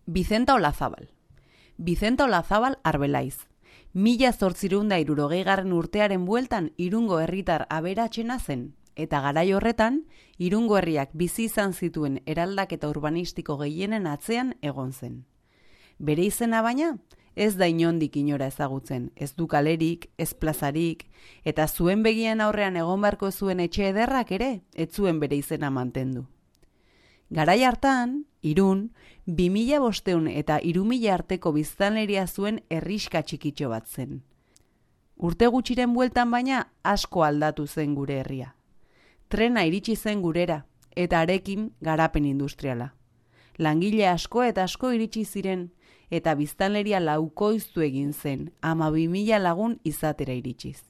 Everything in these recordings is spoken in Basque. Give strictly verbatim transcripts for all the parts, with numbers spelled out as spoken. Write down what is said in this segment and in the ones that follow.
Bizenta Olazabal. Bizenta Olazabal Arbelaiz. Mila zortzireunda irurogeigarren urtearen bueltan Irungo herritar aberatsena zen, eta garai horretan, Irungo herriak bizi izan zituen eraldaketa urbanistiko gehienen atzean egon zen. Bere izena baina, ez da inondik inora ezagutzen, ez du kalerik, ez plazarik, eta zuen begien aurrean egon beharko zuen etxe ederrak ere, ez zuen bere izena mantendu. Garai hartan, Irun, bi mila bosteun eta hiru mila arteko biztanleria zuen herriska txikitxo bat zen. Urte gutxiren bueltan baina asko aldatu zen gure herria. Trena iritsi zen gurera, eta arekin garapen industriala. Langile asko eta asko iritsi ziren, eta biztanleria laukoiztu egin zen, ama bi mila lagun izatera iritsiz.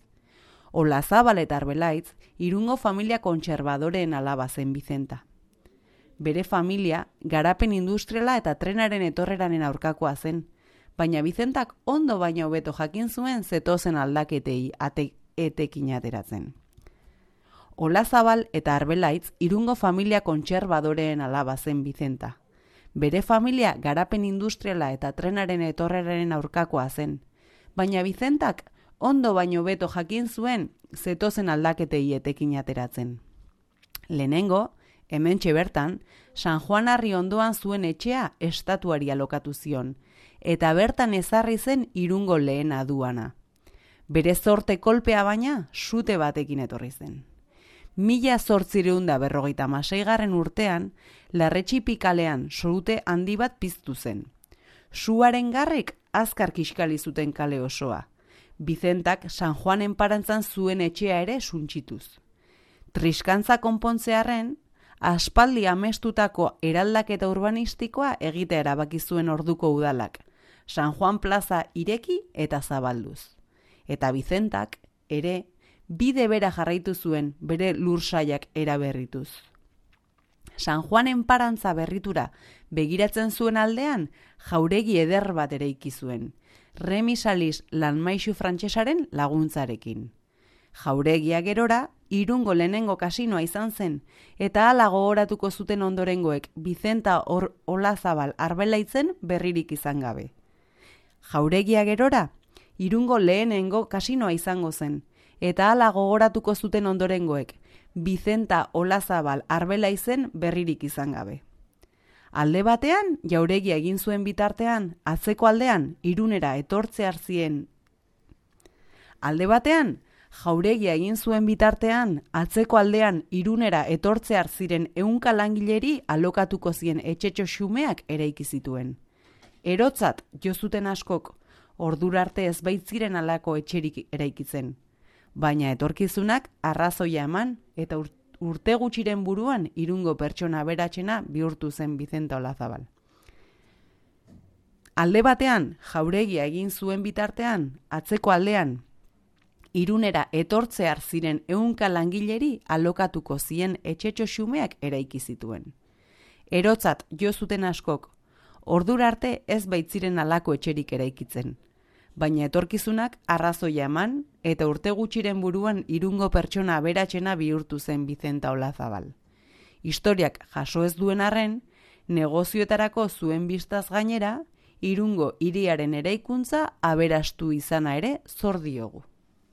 Olazabal eta Arbelaitz, Irungo familia kontserbadoreen alaba zen Bizenta. Bere familia garapen industriala eta trenaren etorreraren aurkakoa zen, baina Bizentak ondo baino hobeto jakin zuen zetozen aldaketei ate, etekin ateratzen. Olazabal eta Arbelaitz Irungo familia kontserbadoreen alaba zen Bizenta. Bere familia garapen industriala eta trenaren etorreraren aurkakoa zen, baina Bizentak ondo baino hobeto jakin zuen zetozen aldaketei etekin ateratzen. Lehenengo, hementxe bertan, San Juan Arri ondoan zuen etxea estatuari alokatu zion, eta bertan ezarri zen Irungo lehen aduana. Bere zorte kolpea baina, sute batekin etorri zen. Mila zortzireunda berrogeita maseigarren urtean, Larretxipikalean sorute handi bat piztu zen. Suaren garrek azkar kiskali zuten kale osoa. Bizentak San Juanen parantzan zuen etxea ere suntsituz. Triskantza konpontzearren, aspaldi amestutako eraldaketa urbanistikoa egitea erabaki zuen orduko udalak, San Juan plaza ireki eta zabalduz. Eta Bizentak ere bide bera jarraitu zuen bere lursaiak eraberrituz. San Juanen parantza berritura begiratzen zuen aldean jauregi eder bat eraiki zuen, Remisalis lanmaixu frantsesaren laguntzarekin. Jauregia gerora, Irungo lehenengo kasinoa izan zen, eta hala gogoratuko zuten ondorengoek Bizenta or Olazabal Arbelaitzen berririk izan gabe. Jauregia gerora, Irungo lehenengo kasinoa izango zen, eta hala gogoratuko zuten ondorengoek Bizenta Olazabal Arbelaitzen berririk izan gabe. Alde batean, jauregia egin zuen bitartean, atzeko aldean, Irunera etortzear zien. Alde batean, jauregia egin zuen bitartean, atzeko aldean Irunera etortzear ziren ehunka langileri alokatuko zien etxetxo xumeak eraiki zituen. Erotzat jo zuten askok, ordura arte ez baitziren halako etxerik eraikitzen. Baina etorkizunak arrazoia eman eta urte gutxiren buruan Irungo pertsona aberatsena bihurtu zen Bizenta Olazabal. Alde batean, jauregia egin zuen bitartean, atzeko aldean, Irunera etortzear ziren ehunka langileri alokatuko zien etxetxo xumeak eraiki zituen. Erotzat jo zuten askok, ordura arte ez baitziren halako etxerik eraikitzen. Baina etorkizunak arrazoia eman eta urte gutxiren buruan Irungo pertsona aberatsena bihurtu zen Bizenta Olazabal. Historiak jaso ez duen arren, negozioetarako zuen bistaz gainera, Irungo hiriaren eraikuntza aberastu izana ere zor diogu.